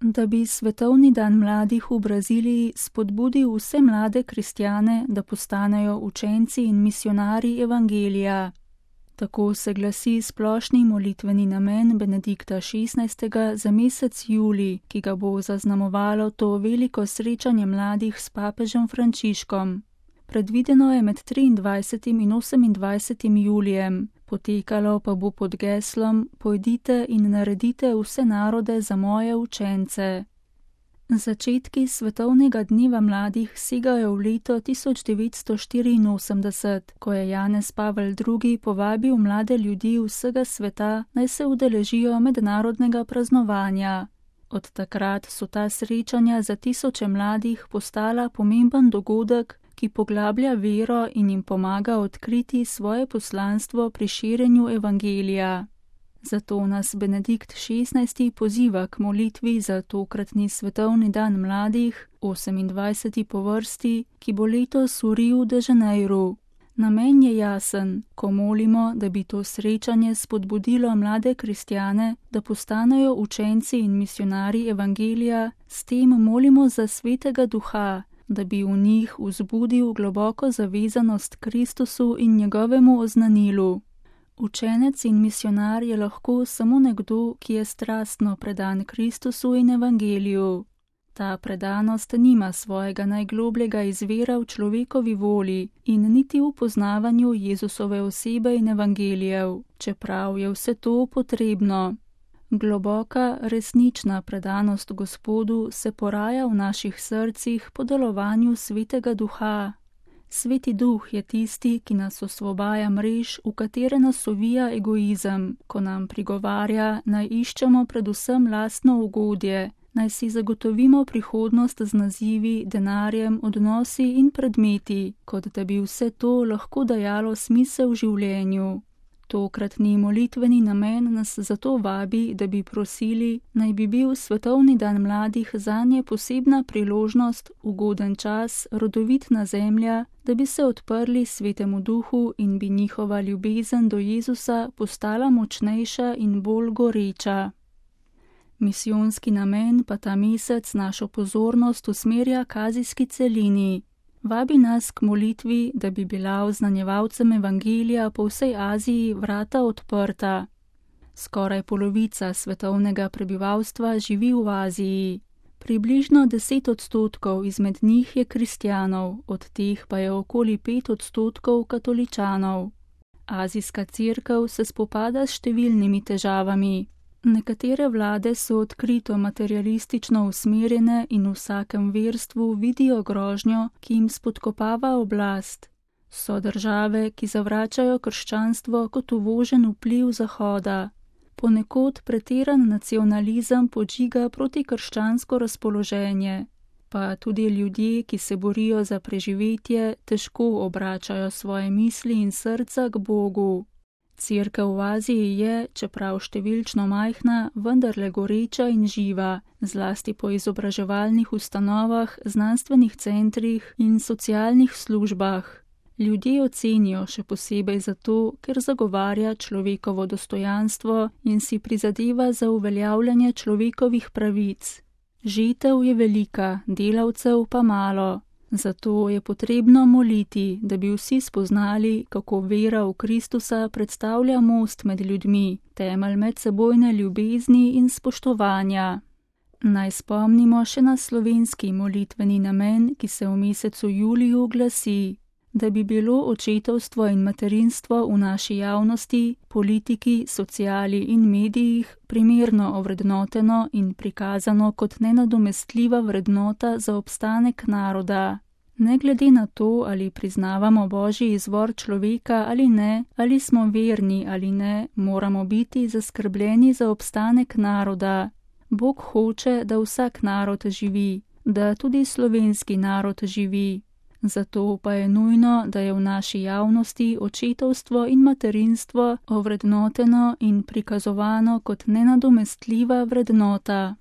Da bi svetovni dan mladih v Braziliji spodbudil vse mlade kristjane, da postanejo učenci in misionarji evangelija. Tako se glasi splošni molitveni namen Benedikta XVI. Za mesec julij, ki ga bo zaznamovalo to veliko srečanje mladih s papežem Frančiškom. Predvideno je med 23. in 28. julijem, potekalo pa bo pod geslom Pojdite in naredite vse narode za moje učence. Začetki svetovnega dneva mladih segajo v leto 1984, ko je Janez Pavel II. Povabil mlade ljudi vsega sveta, naj se udeležijo mednarodnega praznovanja. Od takrat so ta srečanja za tisoče mladih postala pomemben dogodek, ki poglablja vero in jim pomaga odkriti svoje poslanstvo pri širjenju evangelija. Zato nas Benedikt XVI. Poziva k molitvi za tokratni svetovni dan mladih, 28. po vrsti, ki bo letos v Riu de Janeiru. Namen je jasen, ko molimo, da bi to srečanje spodbudilo mlade kristjane, da postanejo učenci in misionarji evangelija, s tem molimo za Svetega Duha, da bi v njih vzbudil globoko zavezanost Kristusu in njegovemu oznanilu. Učenec in misionar je lahko samo nekdo, ki je strastno predan Kristusu in evangeliju. Ta predanost nima svojega najglobljega izvira v človekovi voli in niti v poznavanju Jezusove osebe in evangelijev, čeprav je vse to potrebno. Globoka, resnična predanost Gospodu se poraja v naših srcih po delovanju Svetega Duha. Sveti Duh je tisti, ki nas osvobaja mrež, v katere nas ovija egoizem, ko nam prigovarja, naj iščemo predvsem lastno ugodje, naj si zagotovimo prihodnost z nazivi, denarjem, odnosi in predmeti, kot da bi vse to lahko dajalo smisel življenju. Tokratni molitveni namen nas zato vabi, da bi prosili, naj bi bil svetovni dan mladih zanje posebna priložnost, ugoden čas, rodovitna zemlja, da bi se odprli Svetemu Duhu in bi njihova ljubezen do Jezusa postala močnejša in bolj goreča. Misijonski namen pa ta mesec našo pozornost usmerja k azijski celini. Vabi nas k molitvi, da bi bila oznanjevalcem evangelija po vsej Aziji vrata odprta. Skoraj polovica svetovnega prebivalstva živi v Aziji. Približno 10% izmed njih je kristjanov, od teh pa je okoli 5% katoličanov. Azijska cerkev se spopada s številnimi težavami. Nekatere vlade so odkrito materialistično usmerjene in v vsakem verstvu vidijo grožnjo, ki jim spodkopava oblast. So države, ki zavračajo krščanstvo kot uvožen vpliv Zahoda. Ponekod pretiran nacionalizem podžiga protikrščansko razpoloženje. Pa tudi ljudje, ki se borijo za preživetje, težko obračajo svoje misli in srca k Bogu. Cerkev v Aziji je, čeprav številčno majhna, vendarle goreča in živa, zlasti po izobraževalnih ustanovah, znanstvenih centrih in socialnih službah. Ljudje jo cenijo še posebej zato, ker zagovarja človekovo dostojanstvo in si prizadeva za uveljavljanje človekovih pravic. Žetev je velika, delavcev pa malo. Zato je potrebno moliti, da bi vsi spoznali, kako vera v Kristusa predstavlja most med ljudmi, temelj medsebojne ljubezni in spoštovanja. Naj spomnimo še na slovenski molitveni namen, ki se v mesecu juliju glasi, da bi bilo očetovstvo in materinstvo v naši javnosti, politiki, sociali in medijih primerno ovrednoteno in prikazano kot nenadomestljiva vrednota za obstanek naroda. Ne glede na to, ali priznavamo Božji izvor človeka ali ne, ali smo verni ali ne, moramo biti zaskrbljeni za obstanek naroda. Bog hoče, da vsak narod živi, da tudi slovenski narod živi. Zato pa je nujno, da je v naši javnosti očetovstvo in materinstvo ovrednoteno in prikazovano kot nenadomestljiva vrednota.